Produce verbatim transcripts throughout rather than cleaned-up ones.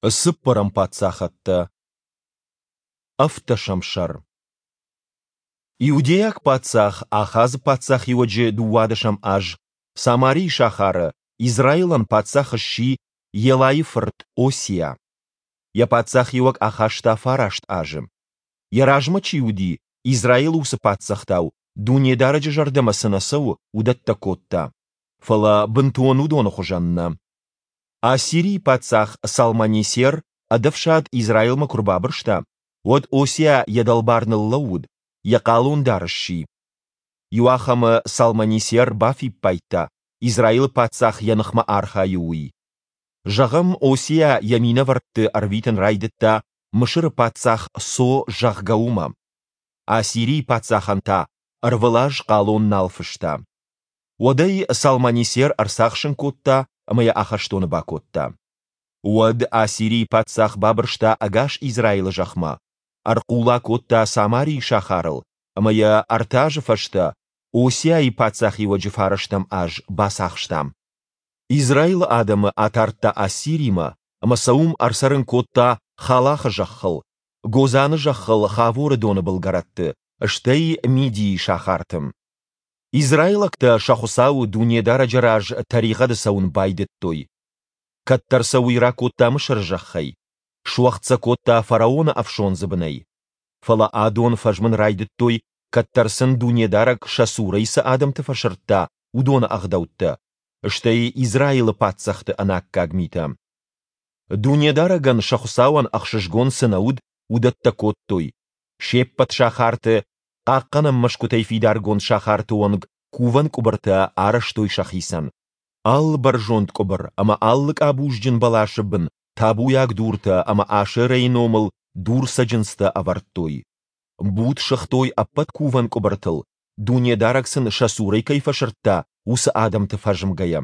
Цыппӕрӕм паддзахӕдтӕ. Ӕвддӕсӕм сӕр. Иудейаг паддзах Ахазы паддзахиуӕджы дыууадӕсӕм аз Самарийы сахары Израилӕн паддзах сси Елайы фырт Осиа. Йӕ паддзахиуӕг ахаста фараст азы. Йӕ размӕ чи уыди, Израилы уыцы паддзӕхтау, Дунедарӕджы зӕрдӕмӕ цы нӕ цӕуы, уыдӕттӕ кодта. Фӕлӕ бынтон уыдоны хуызӕн нӕ. Ассирийы паддзах Салманесер ӕд ӕфсад Израилмӕ куы рбабырста, уӕд Осиа йӕ дӕлбар ныллӕууыд, йӕ хъалондар сси. Иуахӕмы Салманесер бафиппайдта, Израилы паддзах йӕ ныхмӕ архайы, уый. Зӕгъӕм, Осиа йӕ минӕвӕртты ӕрвитын райдыдта Мысыры паддзах Со, зӕгъгӕ, уымӕ. Ассирийы паддзахӕн та ӕрвылаз хъалон нал фыста. Уӕд ӕй Салманесер ӕрцахсын кодта ӕмӕ йӕ ахӕстоны бакодта. Уӕд Ассирийы паддзах бабырста ӕгас Израилы зӕхмӕ, ӕрхъула кодта Самарийы сахарыл ӕмӕ йӕ ӕртӕ азы фӕстӕ, Осиайы паддзахиуӕджы фарӕстӕм аз, бацахста. Израилы адӕмы атардта Ассиримӕ ӕмӕ сӕ уым ӕрцӕрын кодта Халахы зӕххыл, Гозаны зӕххыл Хаворы доны былгӕрӕтты, стӕй Мидийы сахарты. Израилӕгтӕ сӕ Хуыцауы, Дунедарӕджы раз тӕригъӕды цӕуын байдыдтой. Кӕддӕр сӕ уый ракодта Мысыры зӕххӕй, суӕгъд сӕ кодта фараоны ӕфсондзы бынӕй. Фӕлӕ адон фӕзмын райдыдтой, кӕддӕр сын Дунедарӕг сӕ цурӕй цы адӕмты фӕсырдта, уыдоны ӕгъдӕуттӕ, стӕй Израилы паддзӕхты ӕнаккаг митӕ. Дунедарӕгӕн, сӕ Хуыцауӕн, ӕхсызгон цы нӕ уыд, уыдӕттӕ кодтой. Се ппӕт сахарты, хъахъхъӕнӕн мӕсгуытӕй фидаргонд сахарты онг кувӕн къуыбыртӕ арӕзтой сӕхицӕн. Алы бӕрзонд къуыбыр ӕмӕ алы къабузджын бӕласы бын табуйаг дуртӕ ӕмӕ Ашерӕйы номыл дурцӕджындзтӕ ӕвӕрдтой. Буд сыгътой ӕппӕт кувӕн къуыбыртыл, Дунедарӕг сын сӕ цурӕй кӕй фӕсырдта, уыцы адӕмты фӕзмгӕйӕ.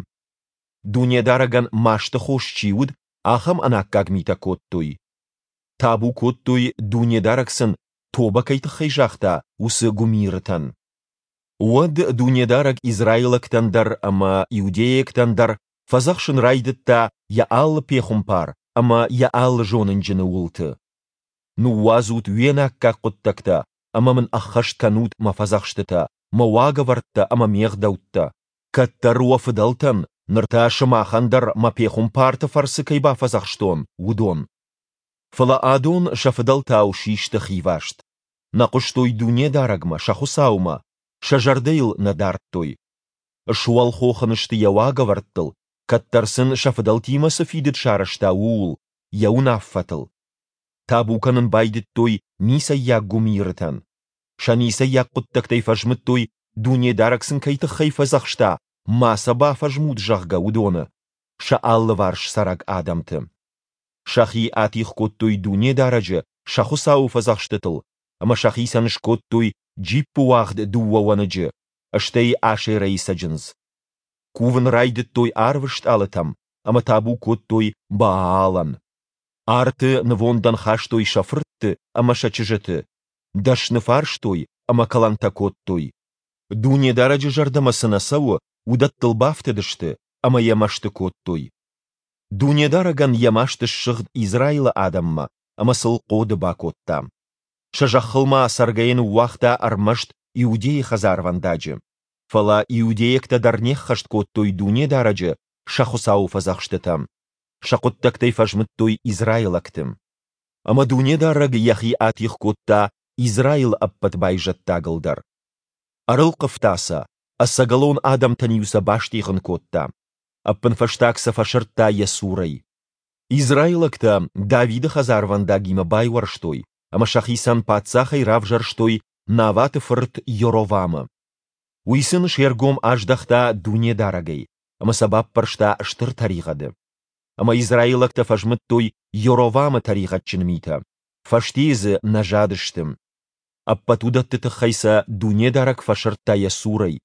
Дунедарӕгӕн масты хос чи уыд, ахӕм ӕнаккаг митӕ кодтой. Табу кодтой, Дунедарӕг сын тобӕ кӕй тыххӕй загъта, уыцы гуымирытӕн. Уӕд Дунедарӕг израилӕгтӕн дӕр ӕмӕ иудейӕгтӕн дӕр фӕдзӕхсын райдыдта йӕ алы пехуымпар ӕмӕ йӕ алы зонынджыны уылты: Ныууадзут уе наккаг хъуыддӕгтӕ ӕмӕ мын ӕххӕст кӕнут мӕ фӕдзӕхстытӕ, мӕ уагӕвӕрдтӕ ӕмӕ ме гъдӕуттӕ, кӕддӕр уӕ фыдӕлтӕн, ныр та сымахӕн дӕр мӕ пехуымпарты фӕрцы кӕй бафӕдзӕхстон, уыдон. Фӕлӕ адон сӕ фыдӕлтау систы хиваст. Нӕ хъуыстой Дунедарӕгмӕ, сӕ Хуыцаумӕ, сӕ зӕрдӕ йыл нӕ дардтой. Суӕлхох ын сты йӕ уагӕвӕрдтыл, кӕддӕр сын сӕ фыдӕлтимӕ цы фидыд сарӕзта, ууыл, йӕ уынаффӕтыл. Табу кӕнын байдыдтой ницӕййаг гуымирытӕн. Сӕ ницӕййаг хъуыддӕгтӕй фӕзмыдтой, Дунедарӕг сын кӕй тыххӕй фӕдзӕхста, ма сӕ бафӕзмут, зӕгъгӕ, уыдоны, сӕ алыварс цӕрӕг адӕмты. Сӕхи атигъ кодтой Дунедарӕджы, сӕ Хуыцауы фӕдзӕхстытыл, ӕмӕ сӕхицӕн скодтой джиппыуагъд дыууӕ уӕныджы, стӕй Ашерӕйы цӕджындз. Кувын райдыдтой арвы стъалытӕм ӕмӕ табу кодтой Баалӕн. Арты нывондӕн хастой сӕ фыртты ӕмӕ сӕ чызджыты, дӕсны фарстой ӕмӕ кӕлӕнтӕ кодтой. Дунедарӕджы зӕрдӕмӕ цы нӕ цӕуы, уыдӕттыл бафтыдысты ӕмӕ йӕ мӕсты кодтой. Дунедарӕгӕн йӕ маст ссыгъд Израилы адӕммӕ ӕмӕ сыл хъоды бакодта. Сӕ зӕххыл ма цӕргӕйӕ ныууагъта ӕрмӕст Иудейы хӕдзарвӕндаджы. Фӕлӕ иудейӕгтӕ дӕр не ххӕст кодтой Дунедарӕджы, сӕ Хуыцауы фӕдзӕхстытӕ. Сӕ хъуыддӕгтӕй фӕзмыдтой израилӕгты. Ӕмӕ Дунедарӕг йӕхи атигъ кодта Израилы ӕппӕт байзӕддагыл дӕр. Ӕрылхъывта сӕ, ӕцӕгӕлон адӕмтӕн-иу сӕ бастигъын кодта. Ӕппынфӕстаг сӕ фӕсырдта йӕ цурӕй. Израилӕгтӕ Давиды хӕдзарвӕндагимӕ байуӕрстой ӕмӕ сӕхицӕн паддзахӕй равзӕрстой Наваты фырт Йоровамы. Уый сын се ргом аздӕхта Дунедарӕгӕй ӕмӕ сӕ баппӕрста стыр тӕригъӕды. Ӕмӕ израилӕгтӕ фӕзмыдтой Йоровамы тӕригъӕдджын митӕ, фӕстейы дзы нӕ задысты. Ӕппӕт уыдӕтты тыххӕй сӕ Дунедарӕг фӕсырдта йӕ цурӕй,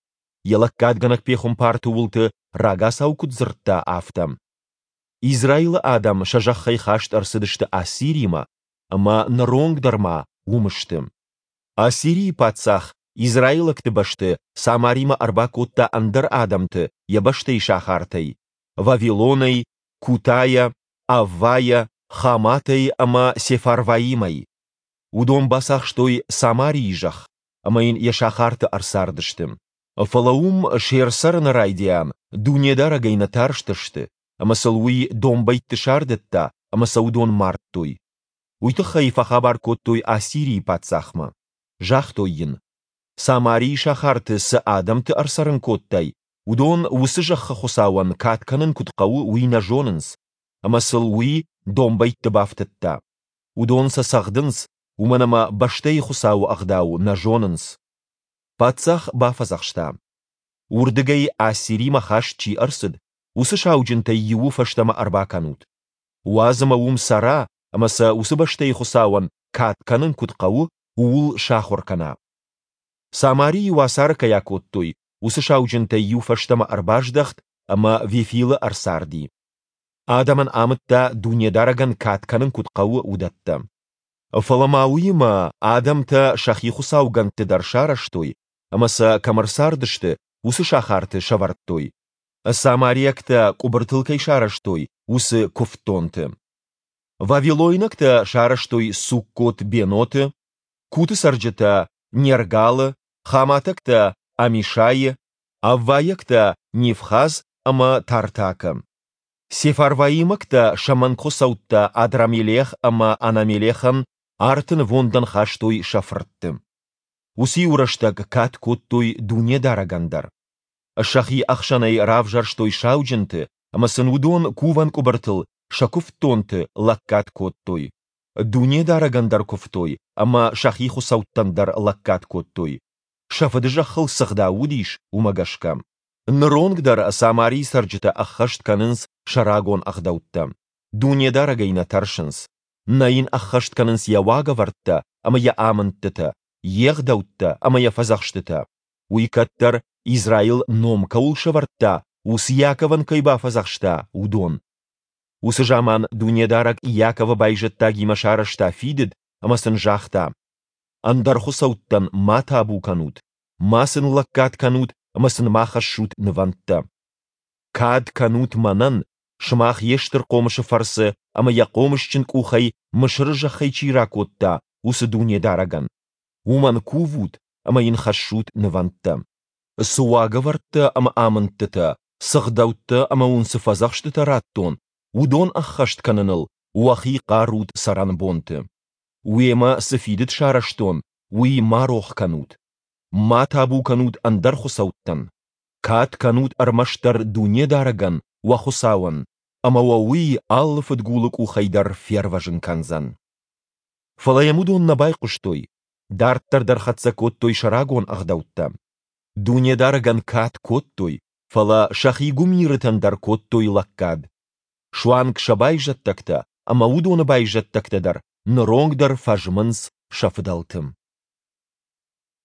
йӕ лӕггадгӕнӕг пехуымпарты уылты рагацау куыд дзырдта, афтӕ. Израилы адӕм сӕ зӕххӕй хаст ӕрцыдысты Ассиримӕ, ӕмӕ ныронг дӕр ма уым сты. Ассирийы паддзах израилӕгты бӕсты Самаримӕ ӕрбакодта ӕндӕр адӕмты йӕ бӕстӕйы сахартӕй, Вавилонӕй, Кутайӕ, Аввайӕ Хаматӕй ӕмӕ Сефарваимӕй. Уыдон бацахстой Самарийы зӕхх ӕмӕ йын йӕ сахарты ӕрцардысты. Фӕлӕ уым се рцӕрыны райдиан Дунедарӕгӕй нӕ тарстысты, ӕмӕ сыл Уый домбӕйтты сардыдта ӕмӕ сӕ уыдон мардтой. Уый тыххӕй фӕхабар кодтой Ассирийы паддзахмӕ. Загътой йын: Самарийы сахарты цы адӕмты ӕрцӕрын кодтай, уыдон уыцы зӕххы Хуыцауӕн кад кӕнын куыд хъӕуы, уый нӕ зонынц, ӕмӕ сыл уый домбӕйтты бафтыдта. Уыдон сӕ цӕгъдынц, уымӕн ӕмӕ бӕстӕйы Хуыцауы ӕгъдау нӕ зонынц. Паддзах бафӕдзӕхста: Уырдыгӕй Ассиримӕ хаст чи ӕрцыд, уыцы сауджынтӕй иуы фӕстӕмӕ ӕрбакӕнут. Уадз ӕмӕ уым цӕра ӕмӕ сӕ уыцы бӕстӕйы Хуыцауӕн кад кӕнын куыд хъӕуы, ууыл сахуыр кӕна. Самарийы уацары кӕй акодтой, уыцы сауджынтӕй иу фӕстӕмӕ ӕрбаздӕхт ӕмӕ Вефилы ӕрцарди. Адӕмӕн амыдта, Дунедарӕгӕн кад кӕнын куыд хъӕуы, уыдӕттӕ. Фӕлӕ ма уыимӕ адӕмтӕ сӕхи хуыцаугӕндты дӕр сарӕзтой ӕмӕ сӕ, кӕм ӕрцардысты, уыцы сахарты сӕвӕрдтой, самариӕгтӕ къуыбыртыл кӕй сарӕзтой, уыцы куывддонты. Вавилойнӕгтӕ сарӕзтой Суккот-Беноты, Куты цӕрджытӕ Нергалы, хаматӕгтӕ Амишайы, аввайӕгтӕ Нивхаз ӕмӕ Тартакы. Сефарваимӕгтӕ сӕ мӕнгхуыцӕуттӕ Адрамелех ӕмӕ Анамелехӕн арты нывондӕн хастой сӕ фыртты. Уыцы иу рӕстӕг кад кодтой Дунедарӕгӕн дӕр. Сӕхи ӕхсӕнӕй равзӕрстой сауджынты, ӕмӕ сын уыдон кувӕн къуыбыртыл сӕ куывддонты лӕггад кодтой. Дунедарӕгӕн дӕр куывтой ӕмӕ сӕхи хуыцӕуттӕн дӕр лӕггад кодтой, сӕ фыдызӕххыл цы гъдау уыдис, уымӕ гӕсгӕ. Ныронг дӕр Самарийы цӕрджытӕ ӕххӕст кӕнынц сӕ рагон ӕгъдӕуттӕ. Дунедарӕгӕй нӕ тӕрсынц. Нӕ йын ӕххӕст кӕнынц йӕ уагӕвӕрдтӕ ӕмӕ йӕ амындтытӕ, йе гъдӕуттӕ ӕмӕ йӕ фӕдзӕхстытӕ. Уый кӕддӕр, Израил ном кӕуыл сӕвӕрдта, уыцы Иаковӕн кӕй бафӕдзӕхста, уыдон. Уыцы заман Дунедарӕг Иаковы байзӕддагимӕ сарӕзта фидыд ӕмӕ сын загъта: Ӕндӕр хуыцӕуттӕн ма табу кӕнут, ма сын лӕггад кӕнут ӕмӕ сын ма хӕссут нывӕндтӕ. Кад кӕнут мӕнӕн, сымах йе стыр хъомысы фӕрцы ӕмӕ йӕ хъомысджын къухӕй Мысыры зӕххӕй чи ракодта, уыцы Дунедарӕгӕн. Уымӕн кувут ӕмӕ йын хӕссут нывӕндтӕ. Цы уагӕвӕрдтӕ ӕмӕ амындтытӕ, цы гъдӕуттӕ ӕмӕ уын цы фӕдзӕхстытӕ радтон, уыдон ӕххӕст кӕныныл уӕхи хъарут цӕрӕнбонты. Уемӕ цы фидыд сарӕзтон, уый ма рох кӕнут. Ма табу кӕнут ӕндӕр хуыцӕуттӕн. Кад кӕнут ӕрмӕстдӕр Дунедарӕгӕн, уӕ Хуыцауӕн, ӕмӕ уӕ Уый алы фыдгулы къухӕй дӕр фервӕзын кӕндзӕн. Фӕлӕ йӕм уыдон нӕ байхъуыстой, дарддӕр дӕр хӕццӕ кодтой сӕ рагон ӕгъдӕуттӕ. Дунедарӕгӕн кад кодтой, фӕлӕ сӕхи гуымирытӕн дӕр кодтой лӕггад. Суанг сӕ байзӕддӕгтӕ ӕмӕ уыдоны байзӕддӕгтӕ дӕр ныронг дӕр фӕзмынц сӕ фыдӕлты.